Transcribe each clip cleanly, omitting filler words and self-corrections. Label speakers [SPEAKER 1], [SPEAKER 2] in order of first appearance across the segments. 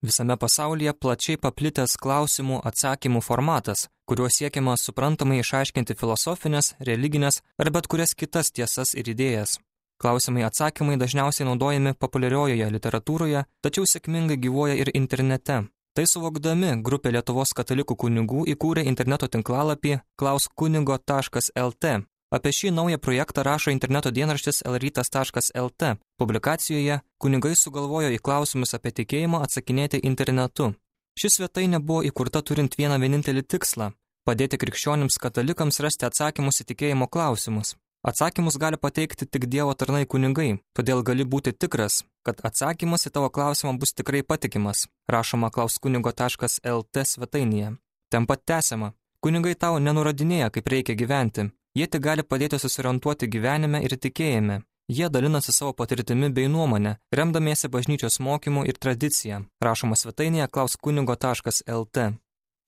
[SPEAKER 1] Visame pasaulyje plačiai paplitęs klausimų atsakymų formatas, kuriuo siekiama suprantamai išaiškinti filosofinės, religinės ar bet kurias kitas tiesas ir idėjas. Klausimai atsakymai dažniausiai naudojami populiariojoje literatūroje, tačiau sėkmingai gyvuoja ir internete. Tai suvokdami, grupė Lietuvos katalikų kunigų įkūrė interneto tinklalapį klauskunigo.lt. Apie šį naują projektą rašo interneto dienraštis lrytas.lt. Publikacijoje kunigai sugalvojo į klausimus apie tikėjimą atsakinėti internetu. Ši svetainė buvo įkurta turint vieną vienintelį tikslą – padėti krikščionims katalikams rasti atsakymus į tikėjimo klausimus. Atsakymus gali pateikti tik Dievo tarnai kunigai, todėl gali būti tikras, kad atsakymas į tavo klausimą bus tikrai patikimas, rašoma klauskunigo.lt svetainėje. Ten pat tęsiama. Kunigai tau nenurodinėja, kaip reikia gyventi. Jie tik gali padėti susiorientuoti gyvenime ir tikėjime. Jie dalinasi savo patirtimi bei nuomonę, remdamiesi bažnyčios mokymu ir tradicija, rašoma svetainėje klauskunigo.lt.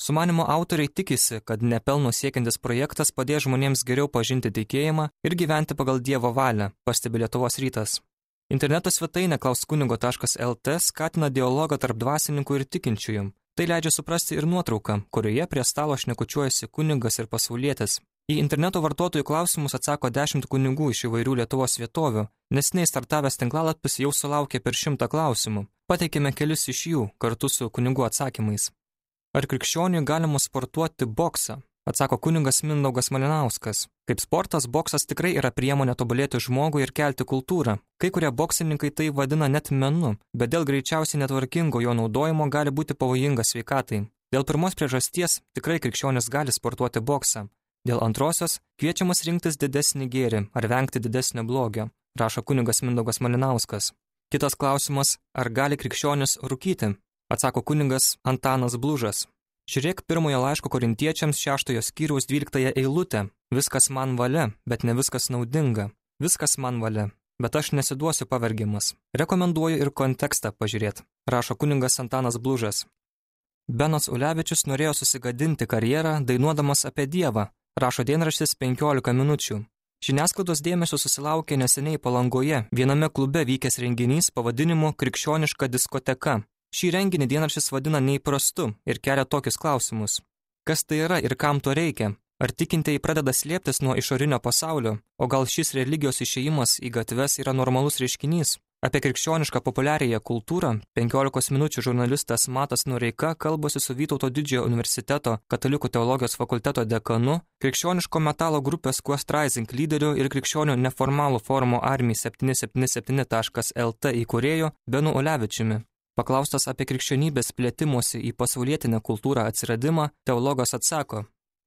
[SPEAKER 1] Sumanymo autoriai tikisi, kad nepelno siekiantis projektas padės žmonėms geriau pažinti tikėjimą ir gyventi pagal Dievo valią, pastebi Lietuvos rytas. Interneto svetainė klauskunigo.lt skatina dialogą tarp dvasininkų ir tikinčiųjų. Tai leidžia suprasti ir nuotrauką, kurioje prie stalo šnekučiuojasi kunigas ir pasaulietis. Į interneto vartotojų klausimus atsako 10 kunigų iš įvairių Lietuvos vietovių. Neseniai startavęs tinklalapis jau sulaukė per 100 klausimų. Pateikėme kelis iš jų kartu su kunigų atsakymais. Ar krikščioniui galima sportuoti boksą? Atsako kunigas Mindaugas Malinauskas. Kaip sportas, boksas tikrai yra priemonė tobulėti žmogui ir kelti kultūrą. Kai kurie boksininkai tai vadina net menu, bet dėl greičiausiai netvarkingo jo naudojimo gali būti pavojingas sveikatai. Dėl pirmos priežasties tikrai krikščionis gali sportuoti boksą. Dėl antrosios kviečiamas rinktis didesnį gėrį ar vengti didesnio blogio, rašo kunigas Mindaugas Malinauskas. Kitas klausimas, ar gali krikščionis rūkyti? Atsako kunigas Antanas Blužas. Žiūrėk pirmojo laiško korintiečiams 6 skyriaus 12 eilutę. Viskas man valia, bet ne viskas naudinga. Viskas man valia, bet aš nesiduosiu pavergimas. Rekomenduoju ir kontekstą pažiūrėti, rašo kunigas Antanas Blužas. Benas Ulevičius norėjo susigadinti karjerą dainuodamas apie Dievą, rašo dienraštis 15 minučių. Žiniasklaidos dėmesio susilaukė neseniai Palangoje viename klube vykęs renginys pavadinimu Krikščioniška diskoteka. Šį renginį dienraštis vadina neįprastu ir kelia tokius klausimus. Kas tai yra ir kam to reikia? Ar tikintieji pradeda slėptis nuo išorinio pasaulio? O gal šis religijos išėjimas į gatves yra normalus reiškinys? Apie krikščionišką populiariąją kultūrą 15 minučių žurnalistas Matas Noreika kalbasi su Vytauto Didžiojo universiteto katalikų teologijos fakulteto dekanu, krikščioniško metalo grupės Quest Rising lyderiu ir krikščionių neformalų forumo Army 777.lt įkūrėju Benu Ulevičiumi. Paklaustas apie krikščionybės plėtimosi į pasaulietinę kultūrą atsiradimą, teologas atsako,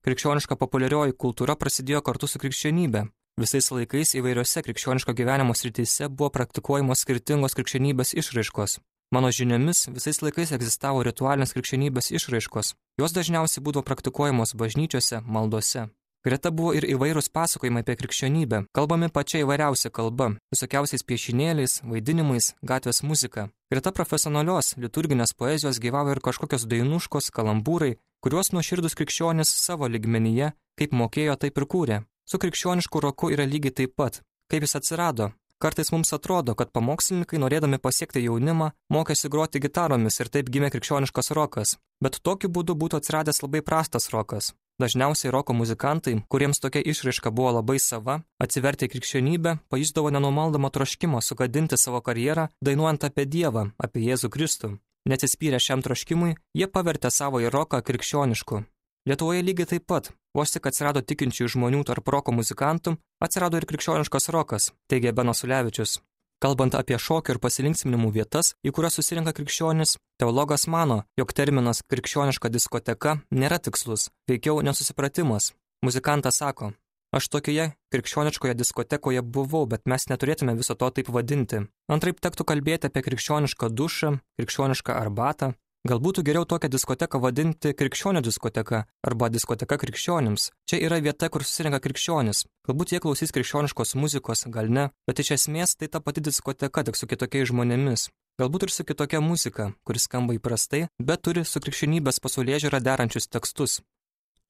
[SPEAKER 1] krikščioniška populiarioji kultūra prasidėjo kartu su krikščionybė. Visais laikais įvairiose krikščioniško gyvenimo srityse buvo praktikuojamos skirtingos krikščionybės išraiškos. Mano žiniomis, visais laikais egzistavo ritualinės krikščionybės išraiškos. Jos dažniausiai būdavo praktikuojamos bažnyčiose, maldose. Greta buvo ir įvairūs pasakojimai apie krikščionybę, kalbami pačia įvairiausia kalba, visokiausiais piešinėliais, vaidinimais, gatvės muzika. Greta profesionalios liturginės poezijos gyvavo ir kažkokios dainuškos, kalambūrai, kuriuos nuoširdus krikščionis savo lygmenyje, kaip mokėjo, taip ir kūrė. Su krikščionišku roku yra lygiai taip pat. Kaip jis atsirado? Kartais mums atrodo, kad pamokslininkai, norėdami pasiekti jaunimą, mokėsi groti gitaromis ir taip gimė krikščioniškas rokas. Bet tokiu būdu būtų atsiradęs labai prastas rokas. Dažniausiai roko muzikantai, kuriems tokia išraiška buvo labai sava, atsivertę į krikščionybę, pajusdavo nenumaldomą troškimą sugadinti savo karjerą, dainuojant apie Dievą, apie Jėzų Kristų. Neatsispyrę šiam troškimui, jie pavertė savo į roką krikščionišku. Lietuvoje lygiai taip pat, vos tik atsirado tikinčių žmonių tarp roko muzikantų, atsirado ir krikščioniškas rokas, teigia Benas Ulevičius. Kalbant apie šokio ir pasilinksminimų vietas, į kurias susirenka krikščionis, teologas mano, jog terminas krikščioniška diskoteka nėra tikslus, veikiau nesusipratimas. Muzikantas sako, aš tokioje krikščioniškoje diskotekoje buvau, bet mes neturėtume viso to taip vadinti. Antraip tektų kalbėti apie krikščionišką dušą, krikščionišką arbatą. Gal būtų geriau tokią diskoteką vadinti krikščionio diskoteka arba diskoteka krikščionims. Čia yra vieta, kur susirenka krikščionis. Galbūt jie klausys krikščioniškos muzikos, gal ne, bet iš esmės tai ta pati diskoteka, tik su kitokiais žmonėmis. Galbūt ir su kitokia muzika, kuris skamba įprastai, bet turi su krikščionybės pasaulėžiūra derančius tekstus.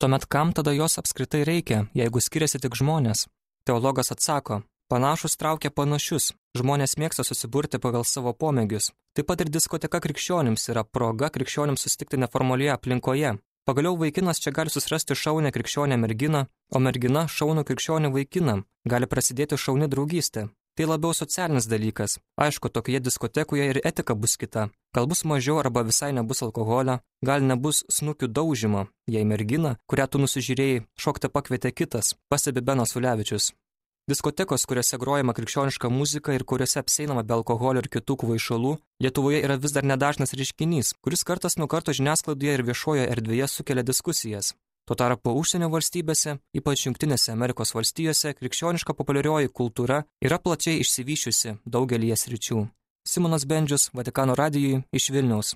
[SPEAKER 1] Tuomet kam tada jos apskritai reikia, jeigu skiriasi tik žmonės? Teologas atsako, Panašus traukia panašius. Žmonės mėgsta susiburti pagal savo pomėgius. Taip pat ir diskoteka krikščionims yra proga krikščionims susitikti neformalioje aplinkoje. Pagaliau vaikinas čia gali susirasti šaunę krikščionę merginą, o mergina šaunų krikščionį vaikiną. Gali prasidėti šauni draugystė. Tai labiau socialinis dalykas. Aišku, tokioje diskotekoje ir etika bus kita. Gal bus mažiau arba visai nebus alkoholio, gal nebus snukių daužymo, jei mergina, kurią tu nusižiūrėjai, šokti pakvietė kitas, pastebi Benas Ulevičius. Diskotekos, kuriuose grojama krikščioniška muzika ir kuriuose apseinama be alkoholio ir kitų kvaišalų, Lietuvoje yra vis dar nedažnas reiškinys, kuris kartas nuo karto žiniasklaidoje ir viešojoje erdvėje sukelia diskusijas. Tuo tarpu užsienio valstybėse, ypač Jungtinėse Amerikos valstijose, krikščioniška populiarioji kultūra yra plačiai išsivysčiusi daugelyje sričių. Simonas Bendžius, Vatikano radijui iš Vilniaus.